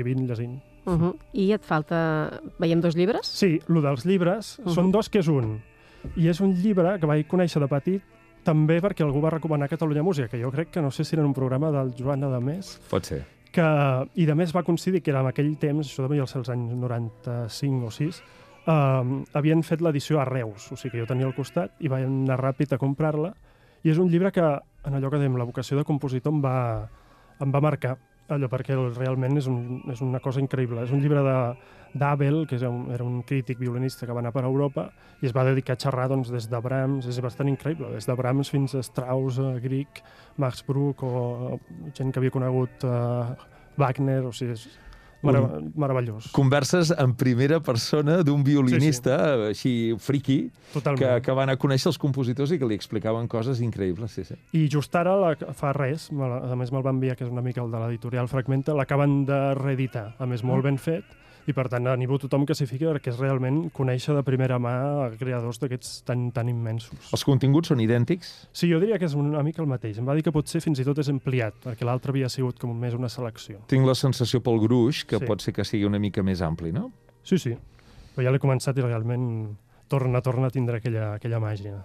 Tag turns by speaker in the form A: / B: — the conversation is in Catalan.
A: escrivint, llegint.
B: I et falta... Veiem 2 llibres?
A: Sí, el dels llibres són 2 que és un. I és un llibre que vaig conèixer de petit també perquè algú va recomanar Catalunya Música, que jo crec que no sé si era un programa del Joan Adamés.
C: Pot ser.
A: I de més va coincidir que era en aquell temps, això devia ser els anys 95 o 6, havien fet l'edició a Reus, o sigui que jo tenia al costat i vaig anar ràpid a comprar-la, i és un llibre que, en allò que dèiem, la vocació de compositor em va marcar, allò perquè realment és una cosa increïble. És un llibre d'Abel, que era un crític violinista que va anar per Europa i es va dedicar a xerrar des de Brahms, és bastant increïble, des de Brahms fins a Strauss, Grieg, Max Bruch o gent que havia conegut Wagner, o sigui, és meravellós.
C: Converses en primera persona d'un violinista així friqui que va anar a conèixer els compositors i que li explicaven coses increïbles. Sí.
A: I just ara, fa res, a més me'l va enviar, que és una mica el de l'editorial Fragmenta, l'acaben de reeditar, a més molt ben fet, i per tant animo a tothom que s'hi fiqui perquè és realment conèixer de primera mà creadors d'aquests tan immensos.
C: Els continguts són idèntics?
A: Sí, jo diria que és una mica el mateix. Em va dir que potser fins i tot és ampliat, perquè l'altre havia sigut com més una selecció.
C: Tinc la sensació pel gruix que pot ser que sigui una mica més ampli, no?
A: Sí. Però ja l'he començat i realment torna a tindre aquella màgia.